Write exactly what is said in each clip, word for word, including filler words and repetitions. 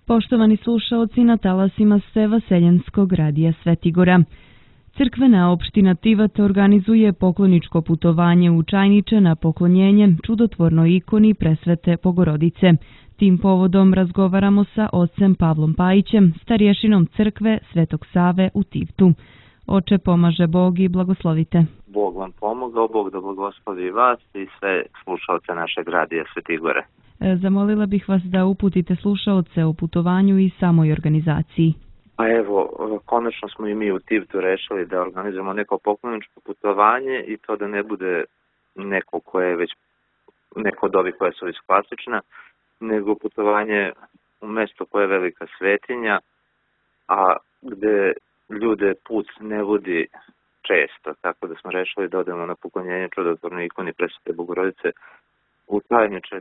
Poštovani slušaoci, na talasima ste Vaseljenskog radija Svetigora. Crkvena opština Tivat organizuje pokloničko putovanje u Čajniče na poklonjenje čudotvornoj ikoni Presvete Bogorodice. Tim povodom razgovaramo sa ocem Pavlom Pajićem, starješinom crkve Svetog Save u Tivtu. Oče, pomaže Bog i blagoslovite. Bog vam pomogao, Bog da blagoslovi vas i sve slušaoce našeg radija Svetigore. Zamolila bih vas da uputite slušaoce o putovanju i samoj organizaciji. Pa evo, konačno smo i mi u Tivtu rešili da organizujemo neko pokloničko putovanje i to da ne bude neko koje je već, neko od ovih koja su već klasična, nego putovanje u mesto koje je velika svetinja, a gde ljude put ne vodi često, tako da smo rešili da odemo na poklonjenje čudotvornoj ikoni Presvete Bogorodice u Čajniče.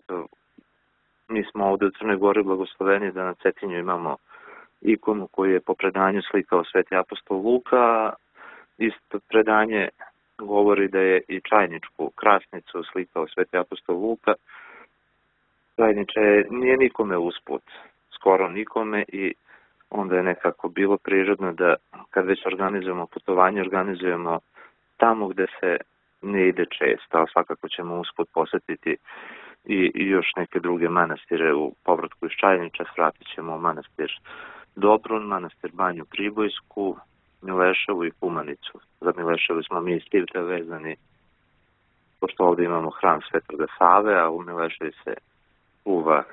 Mi smo ovde u Crnoj Gori blagosloveni da na Cetinju imamo ikonu koju je po predanju slikao sveti apostol Luka. Isto predanje govori da je i Čajničku krasnicu slikao sveti apostol Luka. Čajniče nije nikome usput, skoro nikome, i onda je nekako bilo prirodno da kad već organizujemo putovanje, organizujemo tamo gde se ne ide često, ali svakako ćemo usput posetiti i, i još neke druge manastire u povratku iz Čajniča. Svratit ćemo manastir Dobrun, manastir Banju Pribojsku, Mileševu i Kumanicu. Za Mileševu smo mi iz Tivta vezani, pošto ovde imamo hram Svetoga Save, a u Mileševi se uva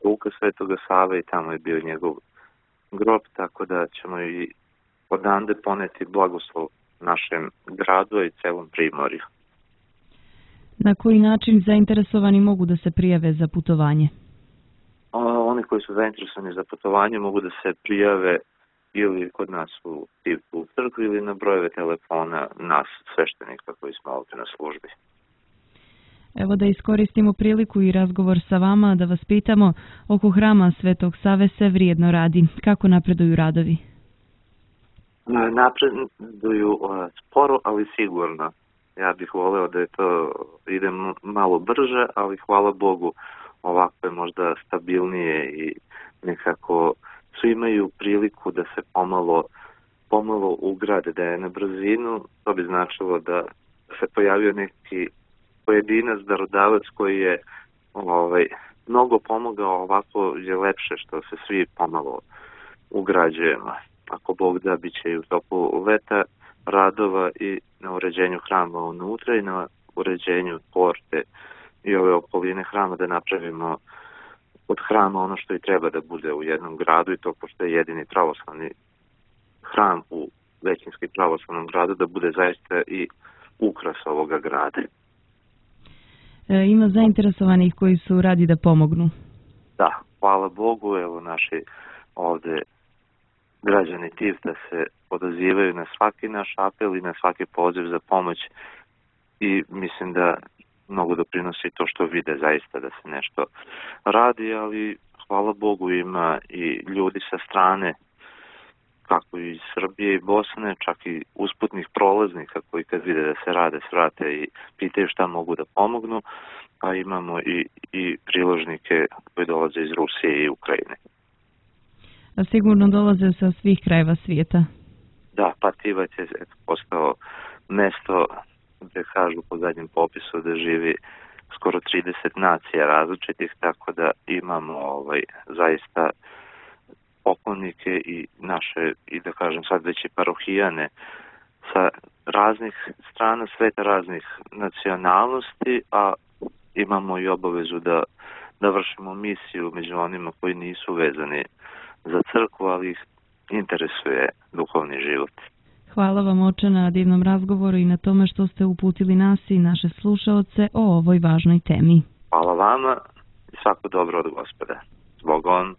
ruka Svetoga Save i tamo je bio njegov grob, tako da ćemo i odande poneti blagoslov našem gradu i celom Primorju. Na koji način zainteresovani mogu da se prijave za putovanje? Oni koji su zainteresovani za putovanje mogu da se prijave ili kod nas u Tivtu u crkvi ili na brojeve telefona nas, sveštenika koji smo ovdje na službi. Evo da iskoristimo priliku i razgovor sa vama da vas pitamo, oko hrama Svetog Save se vrijedno radi. Kako napreduju radovi? Napreduju sporo, ali sigurno. Ja bih voleo da je to ide malo brže, ali hvala Bogu ovako je možda stabilnije i nekako svi imaju priliku da se pomalo, pomalo ugrade, da je na brzinu. To bi značilo da se pojavio neki pojedinac, darodavac koji je ovaj, mnogo pomogao. Ovako je lepše što se svi pomalo ugrađujemo. Ako Bog da, bit će i u toku leta radova i na uređenju hrama unutra i na uređenju porte i ove okoline hrama, da napravimo od hrama ono što i treba da bude u jednom gradu, i to pošto je jedini pravoslavni hram u većinski pravoslavnom gradu, da bude zaista i ukras ovoga grada. E, ima zainteresovanih koji su radi da pomognu? Da, hvala Bogu, evo naši ovde građani Tivta se odazivaju na svaki naš apel i na svaki poziv za pomoć i mislim da mnogo doprinosi to što vide zaista da se nešto radi, ali hvala Bogu ima i ljudi sa strane, kako iz Srbije i Bosne, čak i usputnih prolaznika koji kad vide da se rade, svrate i pitaju šta mogu da pomognu, a imamo i, i priložnike koji dolaze iz Rusije i Ukrajine. A sigurno dolaze sa svih krajeva svijeta? Da, pa Tivat je postao mesto gde kažu po zadnjem popisu da živi skoro trideset nacija različitih, tako da imamo ovaj, zaista poklonike i naše, i da kažem sad već i parohijane sa raznih strana sveta, raznih nacionalnosti, a imamo i obavezu da, da vršimo misiju među onima koji nisu vezani za crkvu, ali ih interesuje duhovni život. Hvala vam, oče, na divnom razgovoru i na tome što ste uputili nas i naše slušaoce o ovoj važnoj temi. Hvala vama i svako dobro od Gospoda. S Bogom.